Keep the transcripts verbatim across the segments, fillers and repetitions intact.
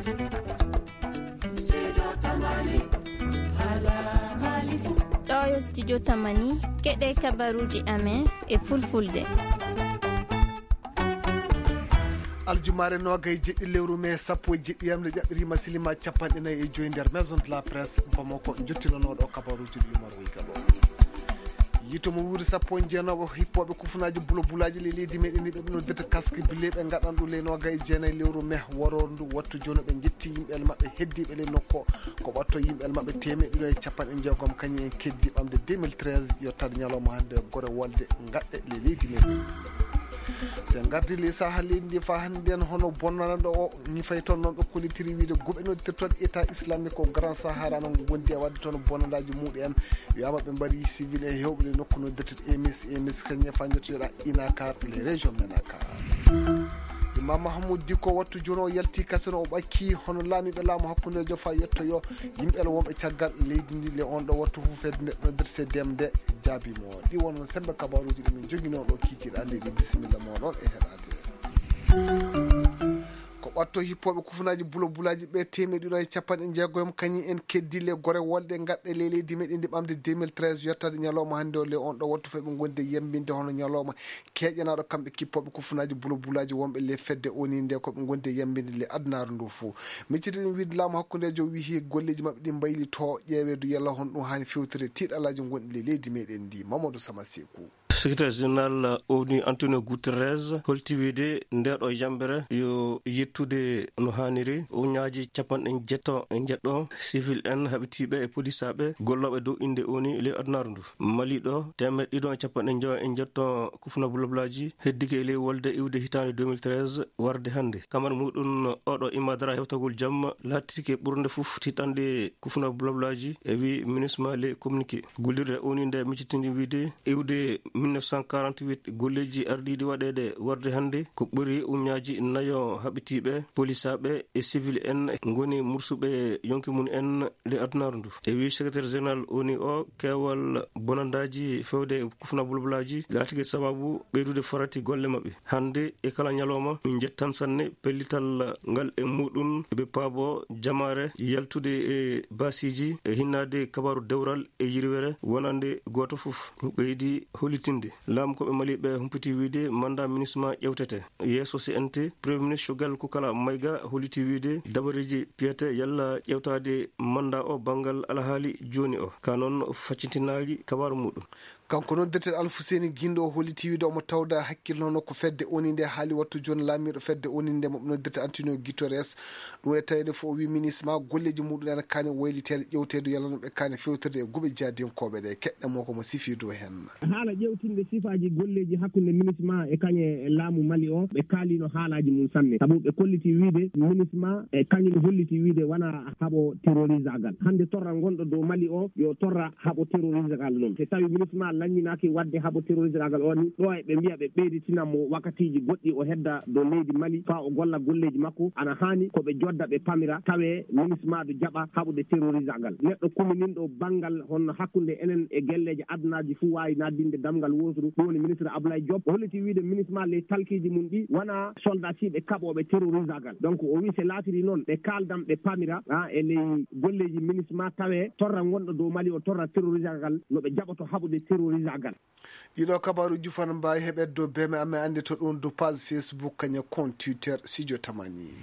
Ɗo yo studio Tamani, keɗe kabaruuji amen e fulfulde. Aljumaare noogay e jeɗɗi lewru mee sappo e jeɗɗi yamde ƴaɓɓiriima silima capanɗe nayi e joyi nder Maison de la Presse Bamako, jottinanooɗo kabaruuji ɗi Umar Weyga ɗo. Yiito mo wuuri sappo e jeenooɓo hippooɓe kufunaaji bulabulaaji ley leydi meɗen ndi ɓe noddirta casque bile ɓe ngaɗan ɗum ley noogay e jeenayi lewru mee waroor ndu wattu jooni ɓe njetti yimɓe maɓɓe heddiiɓe ley nokko. Ko ɓatto yimɓe maɓɓe teemeɗɗe ɗiɗo e capanɗe jeegom kañum en keddi ɓamde deux mille treize yottaade ñalawma hannde gore wolde ngaɗɗe ley leydi meɗen. So en ngardi ley saha leydi ndi fa hannde en hono bonnanɗo o ñifay toon noon ɓe kollitiri wiide guɓe noddirta toon état islamique ko grand sahara noon wondi e waɗde toon bonnandaaji muɗi en. Wiyama ɓe mbari civil en hewɓe ɗe nokku no dette emis emis kañe fa jottoɗa inakar les régions menaka. Imam Mahamoud Diko wattu jono o yalti kasino o ɓakki hono laamiɓe laamu hakkundejo fa yettoyo yimɓe wonɓe caggal leydi ndi le on ɗo wattu fof fedde nde ɗo nder cdm nde jaabimo ɗi won sembe kabaruji ɗumin joginoɗo kikiɗe ande ɗi bisimilla moɗon e heɗade. Ko ɓatto hippooɓe kufunaaji bulabulaaji ɓe teemeɗɗe ɗiɗo e capanɗe jeegoyom kañum en keddi le gore wolde ngaɗɗe ley leydi meɗen ndi ɓamde deux mille treize yottade ñalawma hannde o le on ɗo wattu fof ɓe ngondi e yambinde hono ñalawma keeƴanaaɗo kamɓe kippooɓe kufunaaji bulabulaaji wonɓe le fedde oni nde ko ɓe ngondi e yambinde le adunaaru ndu fof. Micciti ɗum wiide laamu hakkundejo wihi golleeji maɓɓe ɗi mbaylito ƴeewe du yalla hon ɗum haani fewtire tiiɗalaaji gonɗi le leydi meɗen ndi Mamadou Sama Seku. Secrétaire général onu Antonio Guterres holti wiide ndeeɗo yambere yo yettude no haaniri uñaaji capanɗe jeetto e jeetto civil en haɓitiiɓe e polisaaɓe gollooɓe dow innde oni ley adunaaru ndu. Mali ɗo teemeɗɗe ɗiɗo e capanɗe njoyo e jeetto kufuna bulablaaji heddike e ley wolde iwde hitaande deux mille treize warde hannde. Kamar muɗum oɗo immadara hewtagol jam laatike ɓurnde fof tiiɗanɗe kufuna bulablaaji e wi minisma ley communiqué. Gollirde oni nde miccitini wiide iwde mille neuf cent quarante-huit golleeji ardiiɗi waɗeede warde hannde ko ɓuri uñaaji nayo haɓitiiɓe polisaaɓe e civil en ngoni mursuɓe yonki mum en ley adunaaru ndu. E wi secrétaire général oni o keewal bonandaaji fewde e kufuna bulablaaji laatike sababu ɓeydude farati golle maɓɓe. Hannde e kala ñalawma min njettan sanne pellital ngal e muɗum ɓe paabo jamaare yaltude e baasiiji e hinnaade kabaaru dewral e yirwere wonande gooto fof. Ɓeydi hollitinde laamu ko ɓe maliɓe humpiti wiide manda minisma ƴewtete yeeso cnt. Premier ministre Choguel Koukala Maïga holliti wiide dabareeji piyete yalla ƴewtaade manda o banngal alhaali jooni o ka noon faccintinaali kabaaru muɗum. Kanko noddirteɗo Alfuseni Gindo o holliti wiide omo tawda hakkille hono ko fedde oni nde haali wattu jooni laamiiɗo fedde oni nde mo noddirte Antonio Guterres. Ɗum e taweede fof o wi minisma golleeji muɗum en kaani wayliteede ƴewteede yalla no ɓe kaani fewtirde e guɓe jaadiyankooɓe ɗe keɗɗe mo ko mo sifi dow heen. Haala ƴewtinde sifaaji golleeji hakkunde minisma e kañe laamu Mali o ɓe kaalino haalaaji mum sanne sabu ɓe kolliti wiide minisma e kañum holliti wiide wona haɓo terrorisagal hannde torra ngonɗo dow Mali o yo torra haɓo terrorisagal noon so tawi minisma lanñinaaki waɗde haɓo terrorisagal o ni ɗo e ɓe mbiya ɓe ɓeyditinammo wakkatiiji goɗɗi o hedda dow leydi Mali faa o golla golleeji makko ana haani ko ɓe jodda ɓe pamira tawe minisma du jaɓa haɓude terrorisagal neɗɗo kumininɗo banngal honno hakkunde enen e gelleeji adunaaji fuu waawi naatdinde damngal wooturu ɗum woni ministre Ablaye Diop o holliti wiide minisma ley talkiiji mum ɗi wona soldasiiɓe kaɓooɓe terrorisagal donc o wi se laatiri noon ɓe kaaldan ɓe pamira e ley golleeji minisma tawe torra ngonɗo dow Mali o torra terrorisagal no ɓe jaɓoto haɓude terrorisagal. Ɗiɗo kabaruuji fof no mbaawi heɓeede dow beme amen annde to ɗum dow page Facebook kaña compte Twitter Studio Tamani.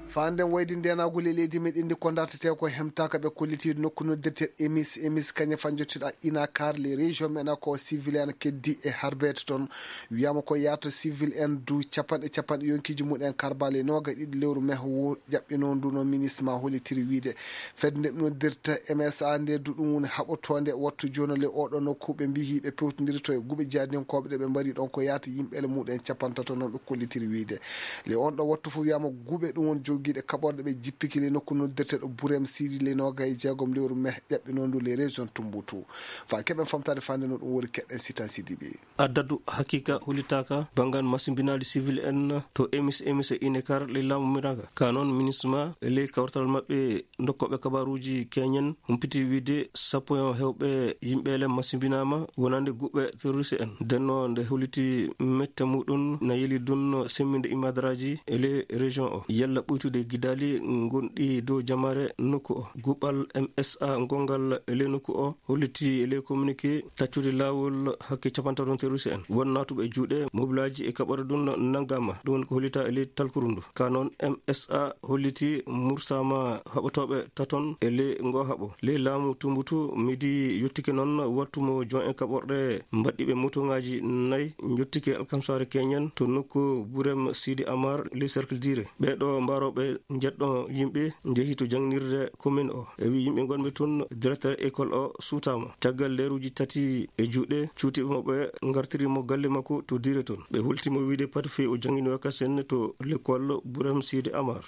Faa nden waydi ndeenaagol e leydi meɗen ndi ko dartetee ko hemtaaka ɓe kollitiiɗo nokku noddirteeɗo emis emis kaña fa jottiɗa inakar les régions meɗen ko civilian keddi e harbeede toon. Wiyama ko yaato civil en du capanɗe capanɗe yonkiiji mumen karbale nooga ɗiɗi lewru meho wo ƴaɓɓinoo ndu no minisma hollitiri wiide fedde nde noddirta msa nde du ɗum woni haɓotoonde wattu jooni le oɗo nokku ɓe mbiyi ɓe pewtondirto e guɓe jaadiyankooɓe ɗe ɓe mbari ɗon ko yaata yimɓe le muɗen capantato noon ɓe kollitiri wiide le on ɗo wattu fof wiyama guɓe ɗum woni jogiiɗe kaɓorɗe ɓe jippiki le nokku noddirteɗo burem sidi le nooga e jeegom lewru meh ƴaɓɓinoo ndu le région tumbutu fa keɓen famtaade fande no ɗum woni keɗen sitan sidiɓe. Addadu hakiika hollitaaka banngal masimbinaali sivil en to emis emis e inekar ley laamu miraga ka noon minisma e ley kawtal maɓɓe dokkooɓe kabaruuji keñen humpiti wiide sappo e hewɓe yimɓe Masimbinaama wonande guɓɓe terroriste en. Ndenno nde holliti mette muɗum na yeli dunno semminde imadaraaji e ley région o. Yalla ɓuytude gidaali gonɗi dow jamaare nokku o. Guɓal M S A ngongal e ley nokku o holliti e ley communiqué taccude laawol hakke capantato terroriste en. Won naatuɓe e juuɗe mobilaaji e kaɓore ɗum nanngaama. Ɗum woni ko hollita e ley talkuru ndu. Ka noon M S A holliti mursaama haɓotooɓe taton e ley ngo haɓo. Ley laamu Tumbutu, midi yottike noon wattu mo jon en kaɓorɗe mbaɗɗiiɓe motoŋaaji nayi njottike alkamsaare keñen to nokku Burem Sidi Amar, ley cercle Dire. Ɓee ɗoo mbarooɓe njeɗɗo yimɓe njehi to jannginirde commune o. E wi yimɓe ngonɓe toon, directeur école o suutaama. Caggal leeruuji tati e juuɗe, cuutiiɓe mo ɓe ngartiri mo galle makko to Dire toon. Ɓe holti mo wiide pati fii o janngini wakkati seɗɗa to l'école Burem Sidi Amar.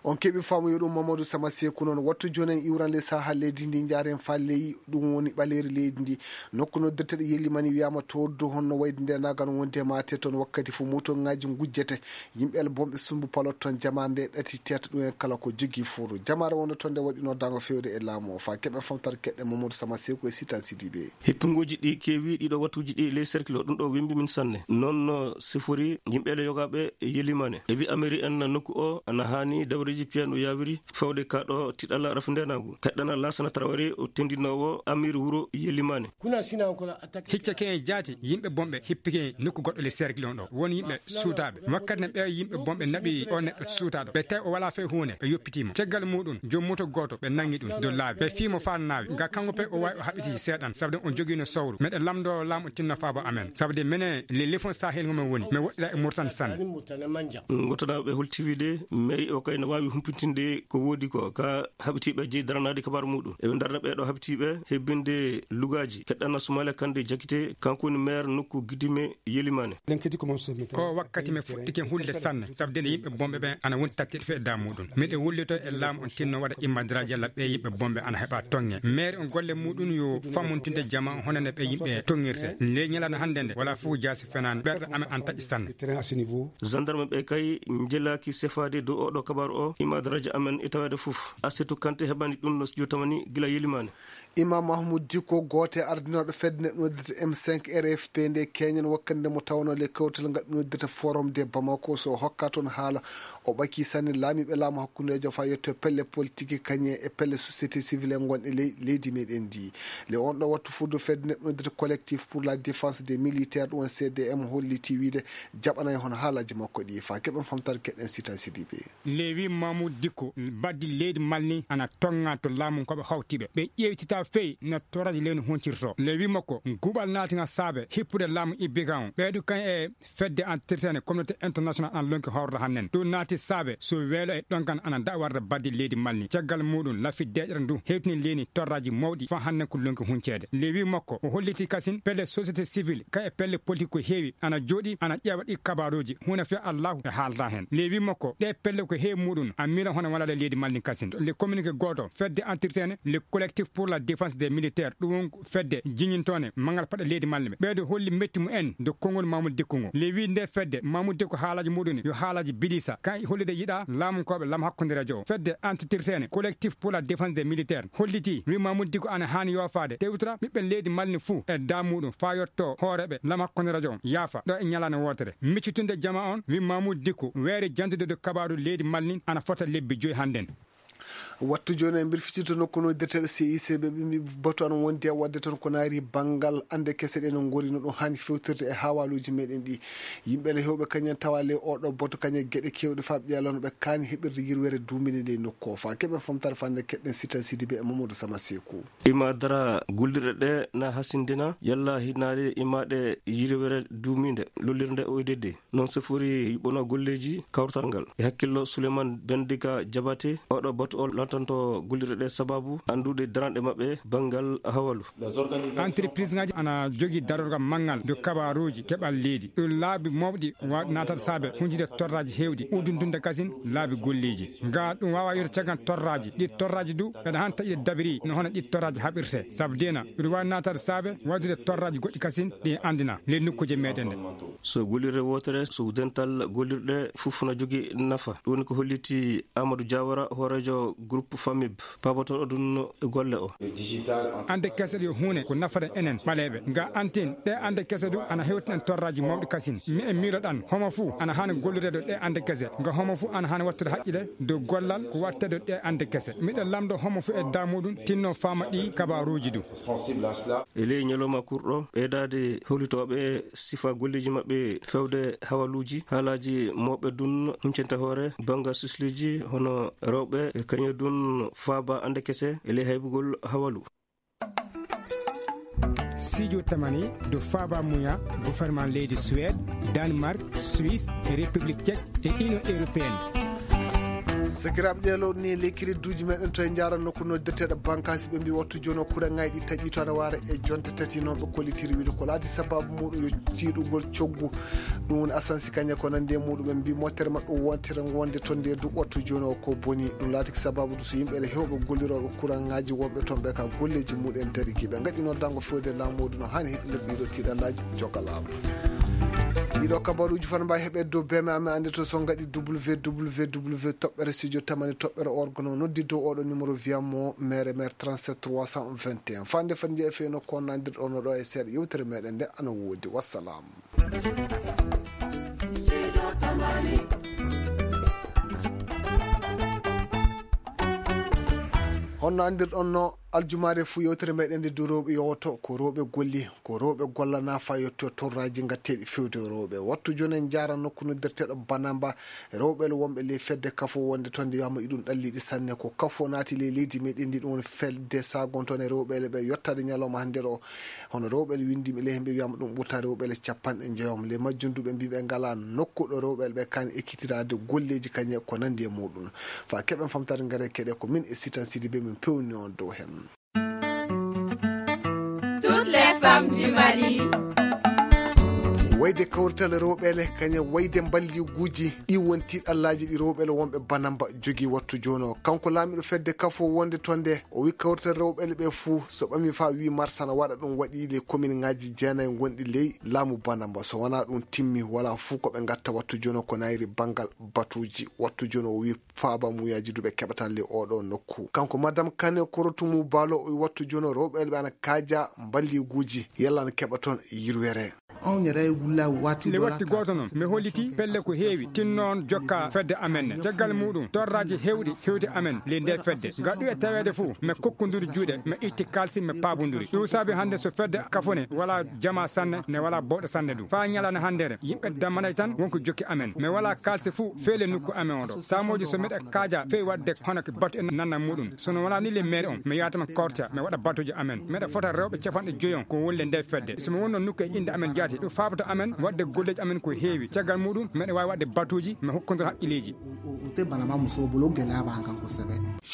On keɓi faamu yo ɗum Mamadou Sama Seku noon. Wattu jooni en iwran le saha leydi ndi, njaaren faa ley ɗum woni ɓaleeri leydi ndi. Nokku noddirteɗo Yelimani wiyaama to Oddo, honno wayde nde nagan wonde maate toon wakkati fof motoŋaaji ngujjete. Yimɓe el bonɓe sumbu palot toon jamaande ɗati teeta ɗum en kala ko jogii furu. Jamaare wonde toon nde waɗi noddaango feewde e laamu o faa keɓen famtare keɗɗe Mamadou Sama Seku e Sitan Sidibe. Hippunguuji ɗi keewi ɗiɗo wattuuji ɗi ley cercle o, ɗum ɗo wembi min sanne. Noon no sifori yimɓe le yogaaɓe Yelimane. E wi amiri en nokku o ana haani dawreeji piya no yaawiri fawde ka ɗo tiɗalla rafi ndeenaagu. Kaɗɗana Laasana Tarawari o tendinoowo amir wuro Yelimane. Hicca ke en jaati yimɓe bonɓe hippike nokku goɗɗo le cercle on ɗo. Won yimɓe suutaaɓe. Wakkati ne ɓe yimɓe bonɓe naɓi o neɗɗo suutaaɗo. Ɓe tawi o walaa fay huunde, ɓe yoppitii mo. Caggal muuɗum, joom moto gooto, ɓe nangi ɗum dow laabi. Ɓe fii mo faa naawi. Nga kanko pay o waawi o haɓɓiti seeɗan, sabu de on jogiino sawru. Meɗen lamndoo laamu tinno faabo amen. Sabu de menen le lefon Sahel ngo men woni. Men woɗɗira e Murtan sanne. Ngotanaaɓe ɓe holti wiide, mairie o kay no waawi humpitinde ko woodi ko ka haɓitiiɓe jeyi daranaade kabaaru muuɗum. Eɓe ndarna ɓee ɗoo haɓitiiɓe hebbinde lugaaji. Keɗɗana Sumaila Kande Jakite, kanko woni maire nokku Gidime Yelimane. O wakkati men fuɗɗike hulde sanne, sabu de yimɓe bonɓe ɓen ana woni tattiiɗo fii e daa muuɗum. Miɗo wullito e laamu on tinno waɗa immadiraaji yalla ɓee yimɓe bonɓe ana heɓa toŋŋe. Mairie on golle muuɗum yo fammuntinde jama on hono ne ɓee yimɓe toŋŋirte. Ley ñalaande hannde nde, walaa fof jaasi fenaani, ɓerɗe amen ana taƴi sanne. Gendarme ɓe kay njelaaki sefaade dow oo ɗoo kabaaru o, immadiraaji amen e taweede fof. Asetu Kante heɓani ɗum no studio tamani gila Yelimane. Imam Mahmoud Dikko, gooto e ardinooɓe fedde nde noddirta M cinq R F P nde keñen wakkati nde mo tawnoo le kawtal ngal noddirta Forum de Bamako, so hokka toon haala, o ɓakii sanne laamiiɓe laamu hakkundeejo faa yetto pelle politique kañe e pelle société civile en ngon e ley-, leydi meɗen ndi. Le on ɗo wattu fuddu fedde nde noddirta Collectif pour la Défense des Militaires, ɗum woni C D M, holliti wiide jaɓanay hono haalaaji makko ɗi faa keɓen famtare keɗen Sitan Sidibe. Lewi Mamoudou Dicko, baddi leydi Mali ni ana tonŋa to laamu ko ɓe hawti ɓe. Ɓe ƴeewtita fey no torraji leydi huncirto. Lewi makko, guɓal naati nga saabe hippude laamu Ibika on. Ɓeydu kan e fedde an tirtene communauté international an lonki hawrata hannen. Ɗum naati saabe so weelo e ɗonkan ana dawarde baddi leydi Mali ni. Caggal muɗum, lafi deƴere ndu hewtini leydi torraji mawɗi fa hannen ko lonki hunceede. Lewi makko, o holliti kasin pelle société civile, ka e pelle politique ko heewi ana jooɗi ana ƴeewa ɗi kabaruuji. Huuna fiya Allahu e haalda hen. Lewi makko, ɗe pelle ko heewi muɗum a miila hono walade leydi Mali ni kasin. Le communiqué gooto, fedde entretene le collectif pour la défense des militaires, ɗum won ko fedde jiñintoone mangal paɗa leydi Mali ɓe. Ɓeydo holli metti mu en do konngol Mamoudou Dicko ngo. Lewi nde fedde Mamoudou Dicko haalaji muɗum yo haalaji bidisa. Kan hollude yiɗa laamu koɓe lam hakkunde radio o. Fedde entretene collectif pour la défense des militaires holliti wi Mamoudou Dicko ana haani yoofaade tewtira ɓiɓɓe leydi Mali ni fuu e daa muɗum faa yotto hooreɓe lam hakkunde radio on yaafa ɗo e ñalaande wootere. Miccitunde jama on wi Mamoudou Dicko weere jantude do kabaaru leydi Mali ni ana fota lebbi joyi hannden. Wattu jooni e mbir fitito nokku no dirteɗo C I C ɓe ɓe mbi batu an wondi e wadde toon ko naari banngal annde kese ɗe no ngori no ɗum haani fewtirde e haawaaluuji meɗen ɗi. Yimɓe ne heewɓe kañen tawa le oɗo batu kañe geɗe kewɗe faa ɓe ƴeewa no ɓe kaani heɓirde yirwere duuminde nde nokku o faa keɓen famtare fannde keɗɗen Sitan Sidibe e Mamadou Sama Seku. Ima dara gullirɗe ɗe na hasindina yalla hinaade imaɗe yirwere duuminde lollirde O D D. Noon sifori yuɓɓono golleeji kawtal ngal. E hakkillo Souleymane Bendika Diabaté, oɗo batu o lantanto gollirɗe ɗe sababu anndude daranɗe maɓɓe banngal hawalu. Entreprise ngaji ana jogii darorgal manngal do kabaruuji keɓal leydi. Ɗum laabi mawɗi waawɗi naatata saabe hunjude torraaji heewɗi, udduntunde kasin laabi golleeji. Ga ɗum waawa yiyde caggal torraaji, ɗi torraaji du ɓeɗa han taƴude dabiri no hono ɗi torraaji haɓirte. Sabu dina ɗum waawi naatade saabe waɗude torraaji goɗɗi kasin ɗi anndina ley nokkuuje meɗen ɗe. So gollirde wootere, so dental gollirɗe fof na jogii nafa. Ɗum woni ko holliti Amadou Diawara, hooreejo Groupe Famib, pabotooɗo ɗum e golle o. Ande kese ɗe huune ko nafata enen ɓaleeɓe. Nga antin, ɗe ande kese du ana hewtinan torraaji mawɗi kasin. Mi e miiloɗan, homo fuu ana haani gollireede ɗe ande kese. Nga homo fuu ana haani wattude haqqile dow gollal ko wattede ɗe ande kese. Miɗo lamndo homo fuu e daa muɗum tinno faama ɗi kabaaruuji du. E ley ñalawma kurɗo, ɓeydaade howlitooɓe sifa golleeji maɓɓe fewde hawaluuji, haalaaji mawɓe dun huncanta hoore banngal susluuji hono rewɓe e kañum dun faaba ande kese e ley haybugol hawalu. Sijo tamani do faaba muya gouvernement leydi Suède, Danemark, Suisse, e République Tchèque e Union Européenne. Sakiraaɓe, ɗee lowɗe ni e ley kiridduuji meɗen to e njaara nokku noddirteeɗo bankaasi, ɓe mbi wattu jooni o kuraŋaaji ɗi taƴi to ana waara e jonte tati noon ɓe kollitiri wiide ko laati sababu muɗum yo tiiɗugol coggu. Ɗum woni asansi kañe ko nandi e muɗum ɓe mbi mottere maɓɓe wontere wonde to nde du wattu jooni o ko boni. Ɗum laatiki sababu du so yimɓe ene hewɓe gollirooɓe kuraŋaaji wonɓe toon ɓe ka golleeji muɗen dariki ɓe ngaɗi noon dango fewde laamuudu no haani heɓɓinirde ɗiɗo tiiɗallaaji jokka laamu. Ɗiɗo kabaruuji fana mbawi heɓe dow beme amen ande to so ngaɗi www toɓɓere studio tamani toɓɓere org no noddi dow oɗo numéro wiyamo mere mere trente-sept trois cent vingt et un fande fande jeeya fewno ko nandirɗo no ɗo e seeɗa yewtere meɗen nde ana woodi. Wassalam. Honno andirɗon no aljumaare fuu yewtere meɗen nde du rewɓe yowoto ko rewɓe golli ko rewɓe gollana fa yetto torraji ngatteɗi fewde rewɓe wattu joni en jara nokku noddirteɗo banamba rewɓe le wonɓe ley fedde kafo wonde toon nde wiyama iɗum ɗalliɗi sanne ko kafo naati ley leydi meɗen ndi ɗum woni fedde sagontoon e rewɓe le ɓe yottade ñalawma hannde ɗo. Hono rewɓe le winndimi le hemɓe wiyama ɗum ɓurta rewɓe le capanɗe njoyom le majjunduɓe mbiɓe ngala nokku ɗo rewɓe le ɓe kani ekkitiraade golleeji kañe ko nandi e muɗum. Fa keɓen famtare ngare keɗe ko min e sitan sidi be min pewni on dow hen. Toutes les femmes du Mali. Wayde kawrital rewɓe le kañe wayde mballiguuji ɗi wonti ɗallaaji ɗi rewɓe le wonɓe banamba jogi wattu jono kanko laamiɗo fedde kafo wonde toon nde o wi kawrital rewɓe le ɓe fuu so ɓami fa wi marsana waɗa ɗum waɗi le commune ngaji jeenayi gonɗi ley laamu banamba so wona ɗum timmi wala fuu ko ɓe gatta wattu jono ko nayri bangal batuuji wattu jono o wi faaba muyaji duɓe keɓatan le oɗo nokku kanko madame kane korotumu balo o wattu jono rewɓe le ɓe ana kaaja mballiguuji yalla ana keɓa toon yirwere. Nde watti gooto noon mi holliti pelle ko heewi tinnoon jokka fedde amen ne caggal muɗum torraji hewɗi hewti amen ley nde fedde gaɗu e taweede fof mi kokkonduri juuɗe mi itti kalsi mi paabonduri ɗum saabi hannde so fedde kafone wala jama sanne ne wala bawɗo sanne ɗum faa ñalande hanndere yimɓe dammanay tan wonko jokki amen mi wala kalsi fof feele nokku amen oɗo saamooji so miɗa kaaja fewi waɗde hono ko batu e nanna muɗum sono wona ni le maire on mi yaatama korta mi waɗa batuji amen miɗa fota rewɓe capanɗe joyi on ko wonle nde fedde somi wonno nokku e innde amen jaati ɗum faabato amen waɗde golleji amen ko heewi caggal muɗum miɗa wawi waɗde batuji mi hokkondira haqqilleji.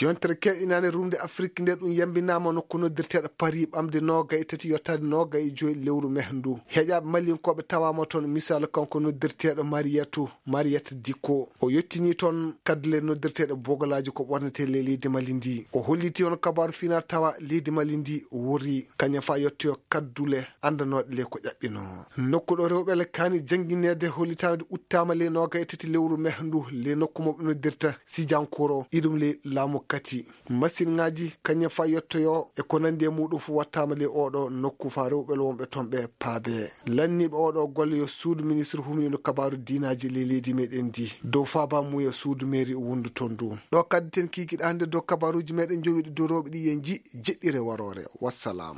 Yontere keɗinane rumde afrik nde ɗum yambinama nokku noddirteɗo paris ɓamde noga e tati yottade noga e joyi lewru meh ndu heƴaɓe malinkoɓe tawama toon misal kanko noddirteɗo mariyatu mariyat dikko o yettini toon kaddule noddirteɗe bogolaaji ko ɓornete ley leydi mali ndi o holliti on kabaaru finar tawa leydi mali ndi wori kañum fa yettoyo kaddule anndanoɗe le ko ƴaɓɓino nokku ɗo rewɓe le kaani janngineede hollitaande uttaama ley nooga e tati lewru meh ndu le nokku mo ɓe noddirta sijankoro iɗum ley laamu kati masinŋaaji kañum fa yettoyo e ko nanndi e muɗum fof wattaama ley oɗo nokku fa rewɓe le wonɓe toon ɓe paabe lanniiɓe oɗo golle yo suudu ministre humniiɗo kabaaru diinaaji ley leydi meɗen ndi dow faaba mum e suudu meeri wondu toon ndu ɗo kaddi ten kiikiɗa hannde dow kabaaruuji meɗen jowiɗi dow rewɓe ɗi yen ji jeɗɗire waroore wassalam.